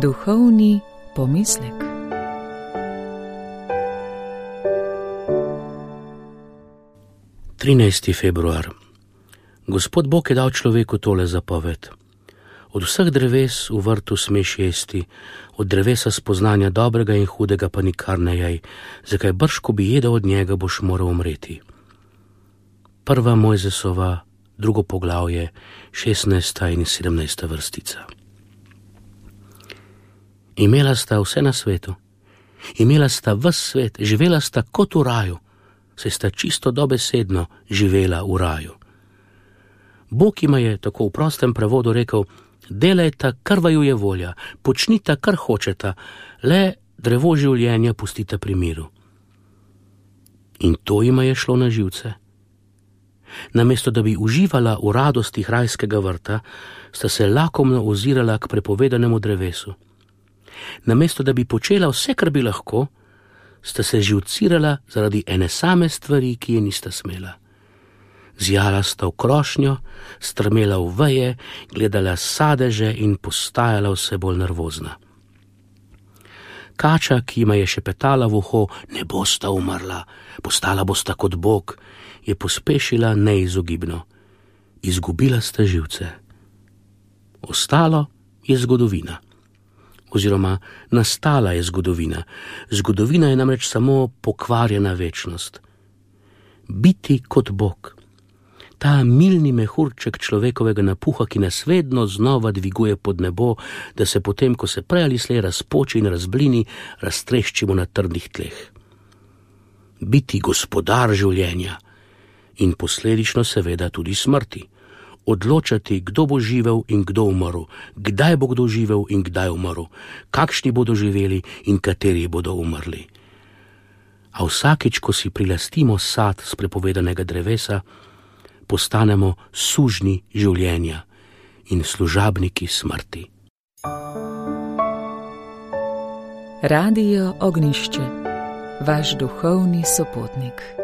Duhovni pomislek. Februar. Gospod Bog je dal človeku tole zapoved. Od vseh dreves v vrtu smeš jesti, od drevesa spoznanja dobrega in hudega pa nikar ne jej, zakaj brž, ko bi jedel od njega, boš moral umreti. 1. Mojzesova, 2. poglavje, 16. in 17. vrstica. Imela sta vse na svetu, imela sta ves svet, živela sta kot v raju, saj sta čisto dobesedno živela v raju. Bog jima je tako v prostem prevodu rekel: delajta, kar vaju je volja, počnita, kar hočeta, le drevo življenja pustita pri miru. In to jima je šlo na živce. Namesto da bi uživala v radostih rajskega vrta, sta se lakomno ozirala k prepovedanemu drevesu. Namesto da bi počela vse, kar bi lahko, sta se živcirala zaradi ene same stvari, ki je nista smela. Zjala sta v krošnjo, strmela v veje, gledala sadeže in postajala vse bolj nervozna. Kača, ki jima je šepetala v uho: ne bosta umrla, postala bosta kot Bog, je pospešila neizogibno. Izgubila sta živce. Ostalo je zgodovina. Oziroma, nastala je zgodovina. Zgodovina je namreč samo pokvarjena večnost. Biti kot Bog. Ta milni mehurček človekovega napuha, ki nas vedno znova dviguje pod nebo, da se potem, ko se prej ali slej razpoči in razblini, raztreščimo na trdnih tleh. Biti gospodar življenja in posledično seveda tudi smrti. Odločati, kdo bo živel in kdo umrl, kdaj bo kdo živel in kdaj umrl, kakšni bodo živeli in kateri bodo umrli. A vsakič, ko si prilastimo sad z prepovedanega drevesa, postanemo sužnji življenja in služabniki smrti. Radio Ognjišče, vaš duhovni sopotnik.